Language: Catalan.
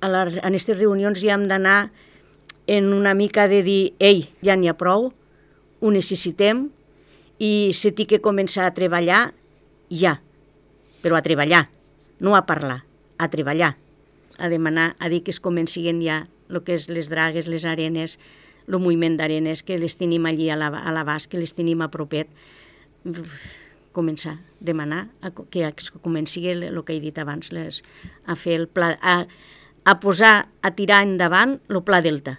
en aquestes reunions ja hem d'anar en una mica de dir, ei, ja n'hi ha prou, ho necessitem i se té que començar a treballar ja, però a treballar, no a parlar, a treballar, a demanar, a dir que es comencin ja el que és les dragues, les arenes, el moviment d'arenes, que les tenim allí a l'abast, que les tenim a propet, començar, demanar que es comenci el que he dit abans, a fer el pla, a posar, a tirar endavant el Pla Delta.